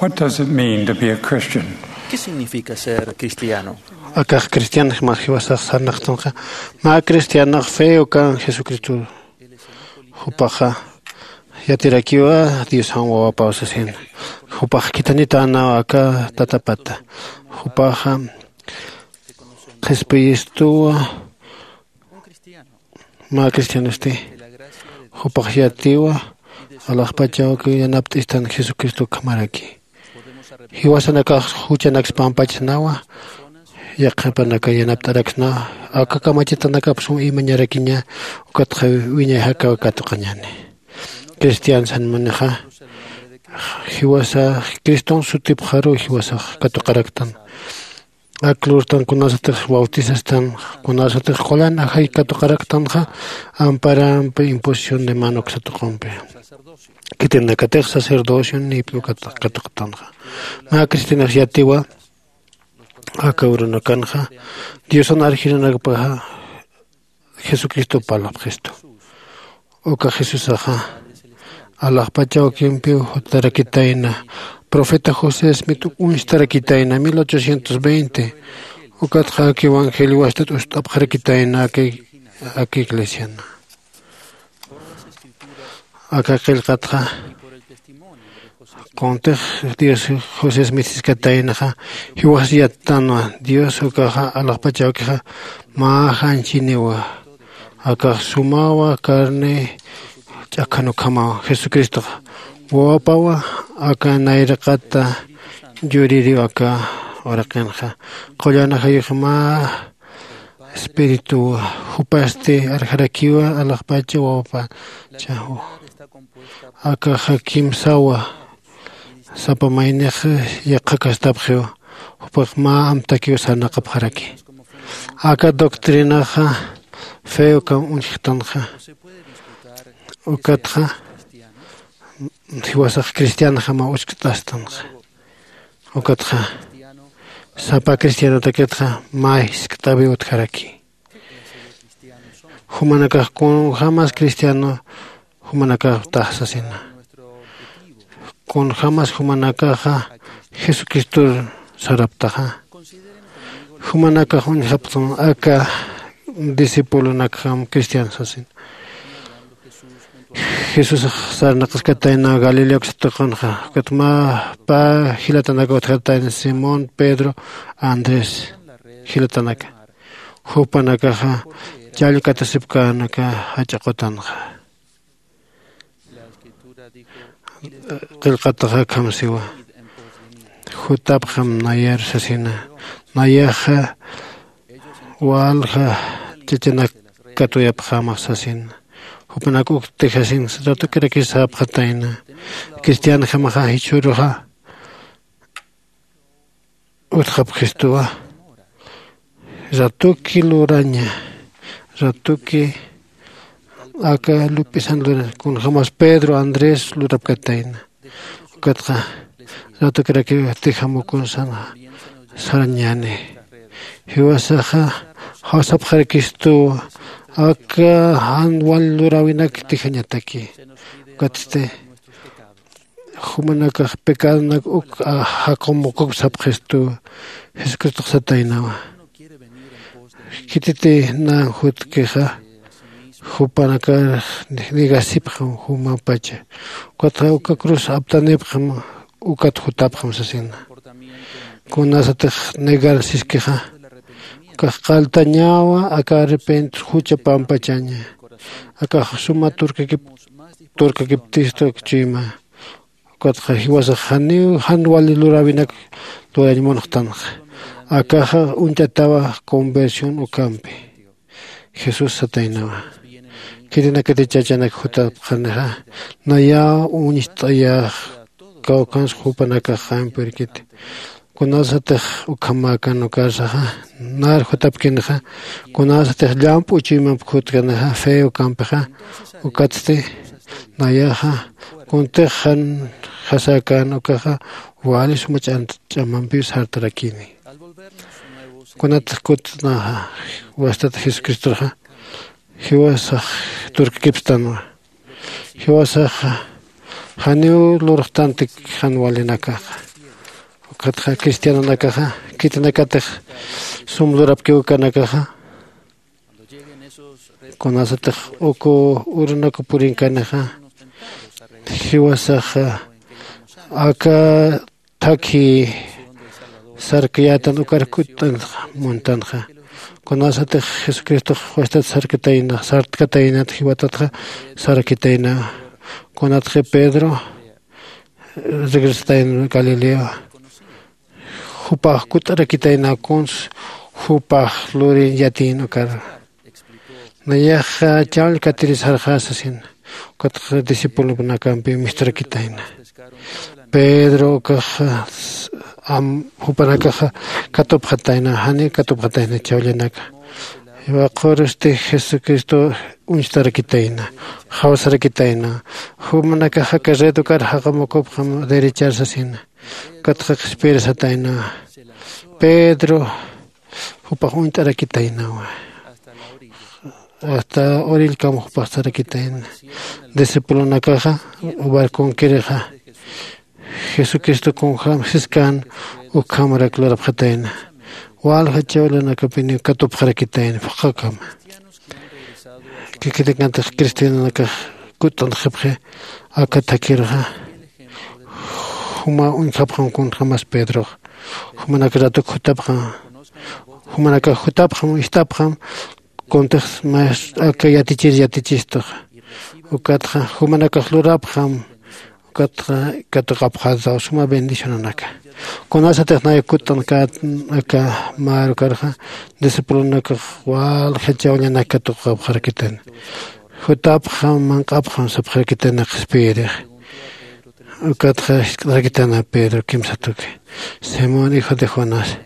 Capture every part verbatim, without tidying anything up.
What does it mean to be a Christian? ¿Qué significa ser cristiano? Akax cristianx mä jiwasax sarnaqtanxa. Mä cristianox fe ukan Jesucristo. Jupaxa yatirakiwa Diosan wawapaw sasin. Jupax khithanitänaw aka tatapata. Jupaxa qhispiyistuwa. Mä cristianosti jupax yatiwa alaxpachaw yanapt'istan Jesucristo ukhamaraki. Jiwasanakax juchanaksa pampachsnawa. Yaqhipanaka yanapt'araksnawa. Aka kamachitanakap sum imañarakiña. Ukatxa wiñay jakaw katuqañäni. Cristian sanmunixa jiwasa criston sutipxaruw jiwasax katuqaraktan. Ak lurtan kunasatix bautisastan, kunasatix qullan ajay katuqaraktanxa, amparampi imposición de mano uksatuqumpi. Khitinakatix sacerdocio nipi ukat katuqtanxa. Mä cristianox yatiwa aka urunakanxa diosan arjinanakpaxa jesucristo parlapxistu. Uka jesusaxa alaxpacha ukimpiw jutarakitayna. Profeta josé smit uñstarakitayna mil ochocientos veinte. Ukatxa aka evangelio wastat ust'apxarakitayna aka iglesiana. Aka qillqatxa kuntix dios josé smit siskataynaxa jiwas yattanwa. Dios ukaxa alaxpachawkixa mä janchiniwa. Akax sumawa carne ch'akhan ukhamawa jesucristoxa wawapawa. Aka nayraqata yuririw aka uraqinxa qullan ajayux mä espirituwa. Jupasti arjarakiwa alaxpacha wawapachaw. Akaxa kimsawa sapa maynix yaqhakastapxiw. Jupax mä amtakiw sarnaqapxaraki. Aka doctrinaxa fe ukam uñjktanxa. Ukatxa jiwasax cristianjama uskt'astanxa. Ukatxa sapa cristianotakitxa mä jiskt'awi utjaraki. Jumanakax kunjämas cristiano jumanakaxtax sasina. Kunjämas jumanakaxa jesucristor saraptaxa. Jumanakax uñjapxtan aka discipulonakjam cristian sasina. Jesús sarnaqaskatayna galilea uksatuqanxa. Ukat mä pä jilatanaka utjatayna simón pedro andrés jilatanaka. Jupanakaxa challkatasipkänaka jach'a qutanxa. Qillqataxa akham siwa. Jutapxam nayar sasina. Nayaxa walja chachanak katuyapxamax sasina. Jupanak ukti jasin ratukirakis sapxatayna. Cristianjamaxa jichhüruxa utjapxistuwa. Ratuki luraña. Ratuki aka lup'isan luraña kunjämas pedro andrés lurapkatayna. Ukatxa ratukirakiw tijamukun sana sarañäni. Jiwasaxa jawsapxarakistuwa aka jan wal luräwinak tijañataki. Ukatsti jumanakax pecadonak uk jaqumukuk sapxistuwa. Jesucristox sataynawa. Khititi nän jutkixa jupanakar negasipxam jumapacha. Ukatxa uka cruz aptanipxam ukat jutapxam sasina. Kunasatix negar siskixa ukax qaltañawa aka arrepent jucha pampachaña. Akax suma turkakiptistu akchuyma. Ukatxa jiwasax janiw jan wali luräwinak lurañ munxtanxa. Akaxa uñt'atawa conversión ukampi. Jesús sataynawa. Khitinakati chachanak jutapxanixa nayaw uñst'ayax kawkhansa jupanakax jampirkiti. Kunasatix ukhamäkan ukarsaxa nar jutapkinixa kunasatix llamp'u chuymamp jutkanixa fe ukampixa. Ukatsti nayaxa kuntix jan jasäkän ukaxa wali suma ch'amampiw sartarakini. Kunatix kutnaxa wastat jesucristorxa jiwasax turkakipstanwa. Jiwasaxa janiw lurxtantik jan walinakaxa. Ukatxa cristianonakaxa khitinakatix sum lurapkiw ukanakaxa, kunasatix uku urunaku purinkanixa, jiwasaxa aka thakhi sarkayätan ukar kutt'anxa muntanxa. Kunasatix jesucristox wastat sarkatayna sartkataynat jiwatatxa sarkitayna. Kunatxi pedro regresatayna galilea, jupax kutt'arakitayna kuns jupax lurin yatin ukar. Nayaxa chawllkatiri sarxä sasin. Ukatxa discipulonakampi misturakitayna. Pedro ukaxa jupanakaxa katupxatayna jani katupxatayna chawllanaka. Jiwaqhurusti jesucristo uñstarakitayna, jawsarakitayna. Jumanakaxa carreta ukar jaqamukupxam derechar sasina. Ukatxa qhispirsatayna. Pedro jupax uñt'arakitaynawa. Asta orillkam jupax sarakitayna. Discipulonakaxa barconkirixa jesucristo kunjam siskan ukhamarak lurapxatayna. Walja chawlanakapiniw katupxarakitayna phuqhakama. Kikitinkantix cristianonakax kutt'antxipxi aka thakirxa. Juma uñjapxam kunjämas pedrox. Jumanak ratuk jutapxam. Jumanakax jutapxam ist'apxam. Kuntix maestro aka yatichir yatichistuxa. Ukatxa jumanakax lurapxam. Ukatxa katuqapxataw suma bendicionanaka. Kunasatix nay kutt'ankät aka marukarxa discipulonakax walja chawllanak katuqapxarakitana. Jutapxam manq'apxam sapxarakitana qhispiyirix. Ukatxa jisk'tarakitana pedro kimsatuki. Simón hijo de jonás,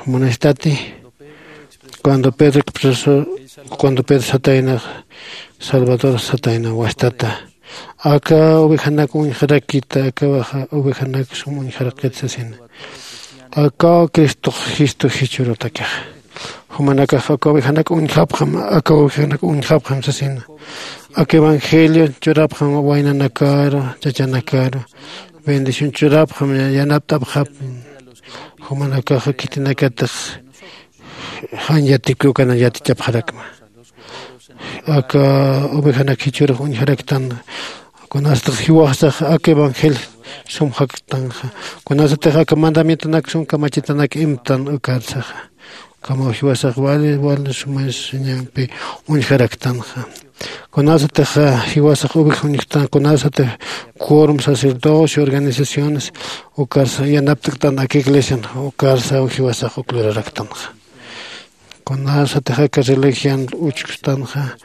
munastati? Cuando pedro cuando pedro satayna salvador satayna wastata, aka ovejanak uñjarakita akawaxa ovejanak sum uñjarakit sasina. Akaw cristox jistu jichhürutakix. Jumanakax aka ovejanak uñjapxam aka ovejanak uñjapxam sasina. Aka evangelio churapxam waynanakaru chachanakaru bendición churapxam yanapt'apxapxam. Jumanakaxa khitinakatix jan yatipki ukana yatichapxarakma. Aka ovejanak jichhürux uñjaraktan. Kunasatix jiwasax aka evangelio sum jaktanxa. Kunasatix aka mandamientonak sum kamachitanak imtan ukarsaxa. Kamaw jiwasax wali wali sumañampi uñjaraktanxa. Kunasatix jiwasax oveja uñjtan kunasatix quorum sacerdocio organizaciones ukarsa yanapt'ktan aka iglesian ukarsa jiwasax uk luraraktanxa. Kunasatix aka religian uchkustanxa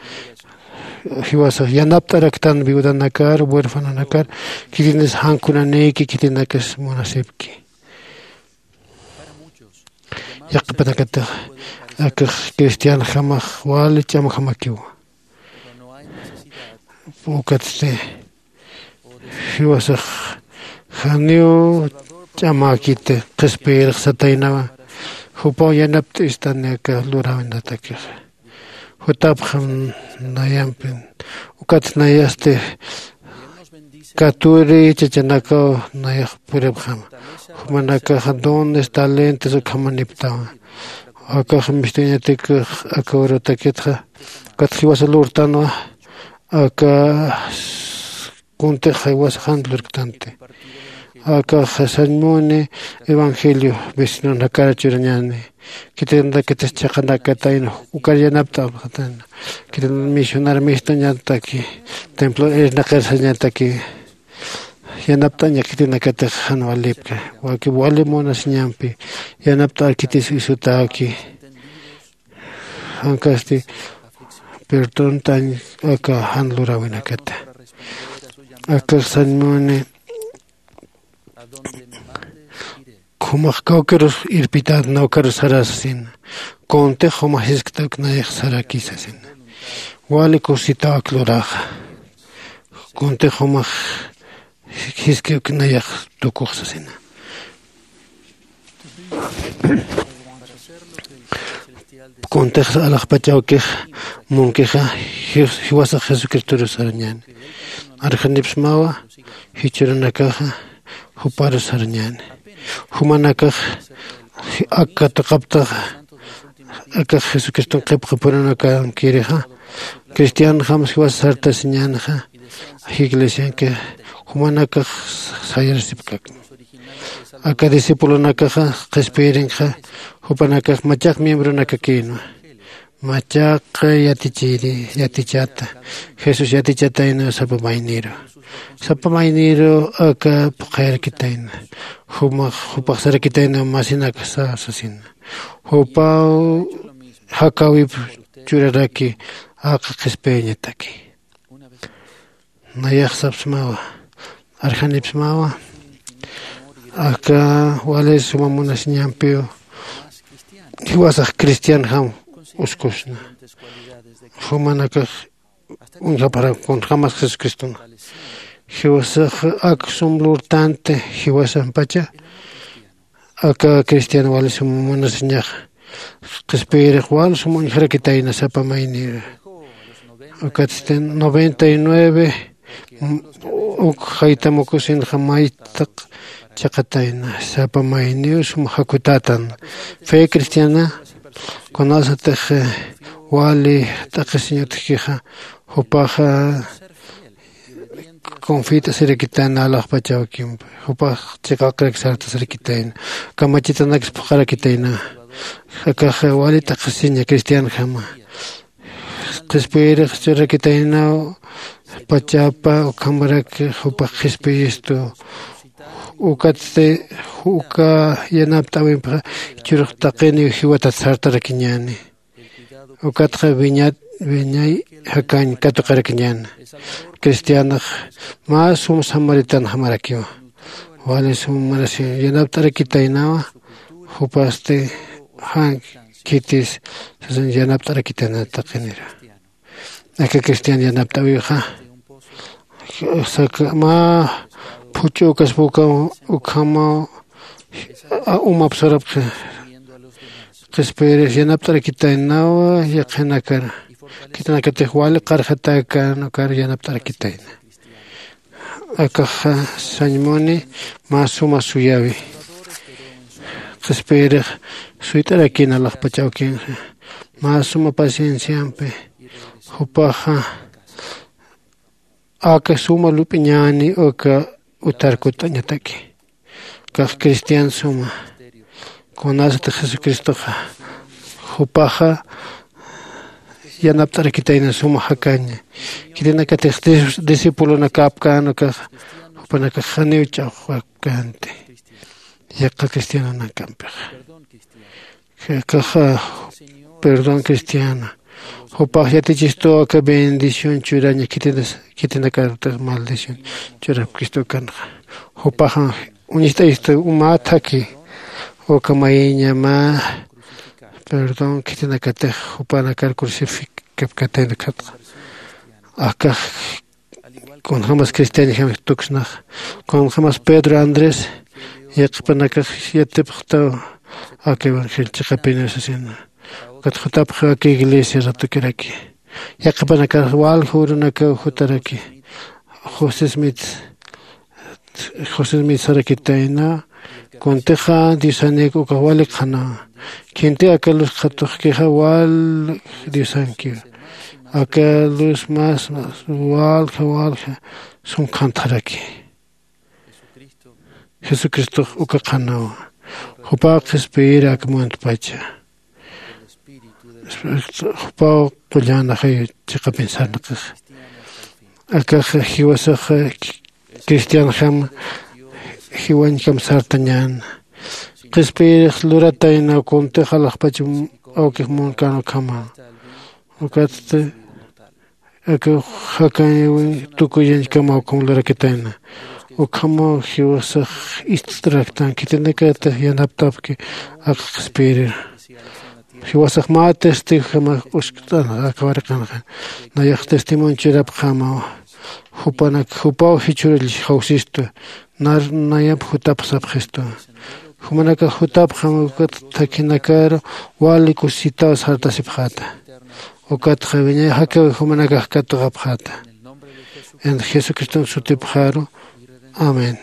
jiwasax yanapt'araktan viudanakar huerfanonakar. Khitinis jan kunanïki khitinakas munasipki. Yaqhipanakatix akax cristianjamax wali ch'amjamakiwa. Ukatsti jiwasax janiw ch'amäkiti qhispiyirix sataynawa. Jupaw yanapt'istani aka luräwinatakixa. Jutapxam nayampin ukat nayasti katuri chachanakaw nayax puripxama. Jumanakaxa dones talentos ukhamaniptawa. Akax mistuñatikix aka urutakitxa ukat jiwasa lurtanwa. Aka kuntix jiwasa jan lurktanti. Akax sañmuni evangelio vecinonakar churañani. Khitinatakitis chhaqanakatayna ukar yanapt'apxatayna. Khitinata misionar mistuñataki templo irnaqir sañataki. Yanapt'aña khitinakatix jan walipka waki wali munasiñampi yanapt'ar khitis isutaki. Jankasti perdontañ aka jan luräwinakata. Akax sañmuni jumax kawkirus irpität nawkarus sarasasina. Kuntix jumax jisktawk nayax sarakisasina. Wali kusitaw ak luraxa. Kuntix jumax jisk'iwk nayax tukux sasina. Kuntix alaxpachawkix munkixa jiwasax jesucristoru sarañäni. Arjanipsmawa jichhürunakaxa juparu sarañäni. Jumanakax ak katuqaptaxa, akax jesucriston qhipqapurunakankirixa, cristianjams jiwas sartasiñänxa iglesianki. Jumanakax sayarasipkak aka discipulonakaxa qhispiyirinkxa, jupanakax machaq miembronakakïnwa. Machaq yatichiri yatichata, jesús yatichatayna sapa mayniru, sapa mayniru aka phuqhayarakitayna. Jumax jupaxsarakitayna masinakasa sasina, jupaw jakäwip churaraki aka qhispiyañataki. Nayax sapsmawa, arjanipsmawa aka wali suma munasiñampiw jiwasax cristianjam uskusna. Jumanakax uñjaparak kunjämas jesucristona. Jiwasax ak sum lurtanti jiwasampacha aka cristiano wali sum munasiñaxa qhispiyirix wal sum uñjarakitayna sapa mayniru. Ukatsti noventa y nueve uk jaytamukusinxa maytaq chiqatayna sapa mayniw sum jakutätan. Fe cristiana kunasatix wali t'aqhisiñ utjkixa, jupaxa confit'asirakitayna alaxpachawkimpi, jupax chiqaqrak sartasrakitayna, kamachitanaksa phuqharakitayna. Akax wali t'aqhisiña cristianjama qhispiyirix churrakitaynaw pachapa ukhamarak jupax qhispiyistu. Ukatsti uka yanapt'äwimpixa jichhürux taqiniw jiwatat sartarakiñäni. Ukatxa wiñat wiñay jakañ katuqarakiñäna. Cristianax mä sum samaritanjamarakiwa. Wali sum munasiñaw yanapt'arakitaynawa. Jupasti jan khitis sasañ yanapt'arakitayna taqinira. Aka cristian yanapt'äwixa saka mä phuch'u ukaspa ukhamaw umapsarapxi. Qhispiyirix yanapt'arakitaynawa yaqhinakar khitinakatix wali qarjatäkän ukar yanapt'arakitayna. Akaxa sañmuni mä suma suyäwi. Qhispiyirix suyt'arakïna alaxpach awkinxa mä suma pacienciampi. Jupaxa aka suma lup'iñäni uka utar kutt'añataki. Kax cristian suma kunasatix jesucristoxa jupaxa yanapt'arakitayna suma jakaña. Khitinakatix discipulonakapkän ukaxa jupanakax janiw ch'axwapkänti yaqha cristianonakampix. Akaxa perdón cristiana jupax yatichistuw aka bendición churaña khitinakartix maldición churapkistu ukanxa. Jupaxa uñist'ayistu mä thakhi uka mayiña mä perdón khitinakatix jupanakar crucificapkatayna khatxa. Akax kunjämas cristianjam tuksnax kunjämas pedro andrés yaqhipanakax yatipxtaw aka evangelio chiqapiniw sasina. Ukat jutapxiw aka iglesia ratukiraki yaqhipanakax walja urunakaw jutaraki. José smith josé smith sarakitayna kuntixa diosanik ukax wali qhanawa. Khinti aka luz qhatuxkixa wal diosankiwa. Aka luz mas walja walja sum qhantxaraki. Jesucristox uka qhanawa. Jupaw qhispiyir ak muntpacha jupaw qullan ajay chiqapin sarnaqix. Akax jiwasax cristianjam jiwañjam sartañän. Qhispiyirix luratayna kuntix alaxpach awkix munkän ukhama. Ukatsti aka jakañawi tukuyañkamaw ukham lurakitayna. Ukhamaw jiwasax ist'raktan khitinakatix yanapt'apki aka qhispiyirira. Jiwasax mä testigojamax uskt'an aka waraqanxa. Nayax testimonio churapxämawa. Jupanak jupaw jichhürall jawsistu nar nayamp jutapxsapxistu. Jumanakax jutapxam ukat thakhinakar wali kusisitaw sartasipxäta. Ukatxa wiñay jakawi jumanakax katuqapxäta. En jesucriston sutipxaru. Amén.